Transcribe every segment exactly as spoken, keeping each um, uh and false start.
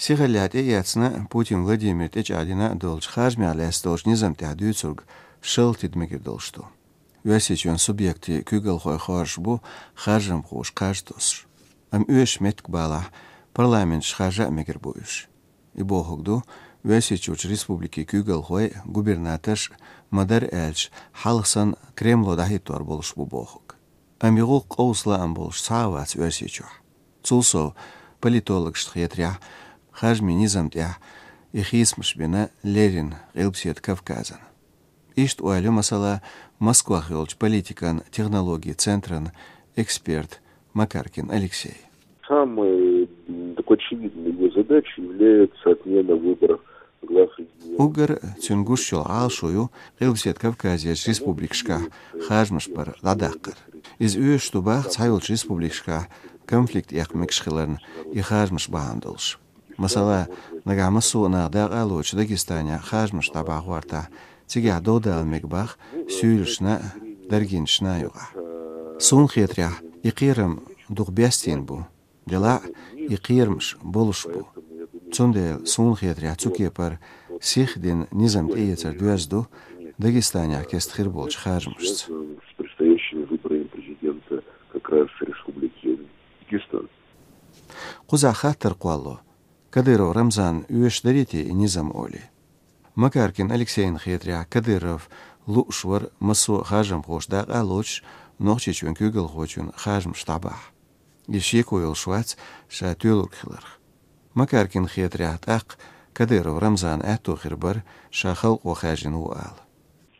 Сихаллехь тӀеэцна Путин Владимир тӀечӀагӀдина долчу харжамех лаьцна долчу низам тӀехь дуьйцург шалта тида мегар долуш ду. Оьрсийчоьнан субъектийн куьйгалхой хоржуш бу харжамхоша кхаж тосуш. Амма оьшуш меттиг балахь, парламенташ харжа а мегар бу уьш. И бохург ду, Оьрсийчуьрчу республикийн куьйгалхой, губернаторш, ма-дарра аьлча, хьалха санна Кремло дӀахӀиттор болуш бу бохург. Амма и гӀуллакх къовса лаам болуш цхьа а вац Оьрсийчохь. Цул сов, политологашна хетарехь, харжамийн низам тӀехь и хийцамаш бина леррина Къилбаседа Кавказан. Иштта ойла ю, масала, Москвахь йолчу политикан технологийн центран эксперт Макаркин Алексей. Самой, м, такой очевидной его задачей является отмена выборов глав регионов. Уггар цуьнан гуш йолу Ӏалашо ю Къилбаседа Кавказерчу республикашкахь харжамаш бар дӀадаккхар. Иза оьшуш ду боху цхьайолчу республикашкахь конфликт эккха мегаш хиларна и харжамаш бахьана долуш. Масала, нагахь массо а нах дакъа а лоцуш Дагестанехь харжамаш дӀабахьа гӀортахь, цигахь дов дала мега боху суьйлашна а, даргинашна а юкъахь. Суна хетарехь, и кхерам дукха бестийна бу. Делахь а, и кхерамаш болуш бу. Цундела, суна хетарехь, цу кепара сихха дина низам тӀеэцар доьзна ду Дагестанехь кеста хир болчу харжамашца. С предстоящими выборами президента как раз Республики Дагестан. Кхузахь хаттар кхоллало: Кадыров Рамзанна оьшуш дарий те и низам олий? Макаркин Алексейна хетарехь, Кадыров лууш вара массо а харжамхоша дакъа а лоцуш Нохчийчоьнан куьйгалхочун харжамаш дӀабахьа. Иза шеко йолуш вац ша тоьлург хиларх. Макаркина хетарехь, тӀаккха Кадыров Рамзанна аьтто хир бара, ша халкъо хаьржина ву ала.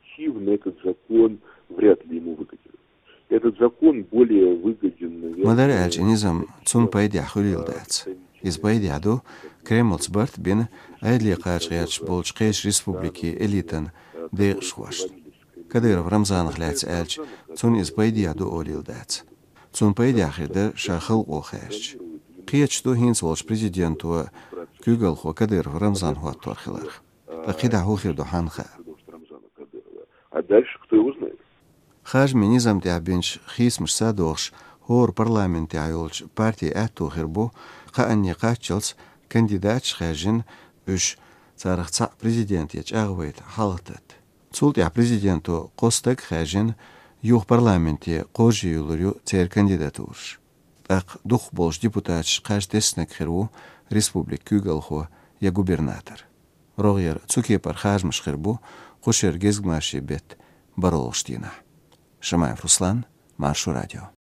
Эффективно этот закон вряд ли ему выгоден. Этот закон более выгоден, наверное, Ма-дарра аьлча, и низам цунна пайдехь хуьлийла дац. Иза пайдехь ду Кремлца барт бина Ӏедале кхача гӀерташ болчу кхечу республикийн элитан декъашхошна. Кадыров Рамзанах лаьцна аьлча, цунна иза пайдехь ду олийла дац. Цунна пайдехь хир дара ша халкъо хаьржича. Кхеташ ду хӀинца волчу президенто куьйгалхо Кадыров Рамзан хӀоттор хиларх. Ткъа кхидӀа хӀун хир ду хьанна хаьа. А дальше кто его знает? Харжамийн низам тӀехь бинчу хийцамашца догӀуш, хӀора парламентехь йолчу партин аьтто хир бу, кхаанне кхаччалц кандидаташ хаьржина, уьш царах цхьаъ президенте чӀагӀвайта хьалхататта. Цул тӀаьхьа президенто кхо стаг хаьржина, юха парламенте кхоржийвуьллур ю церан кандидатураш. ТӀаккха дукхахболчу депутаташ кхаж теснарг хир ву республикан куьйгалхо я губернатор. РогӀера цу кепара харжамаш хир бу кху шеран гезгмашин беттан бархӀалгӀачу дийнахь. Шамаев Руслан, Маршо радио.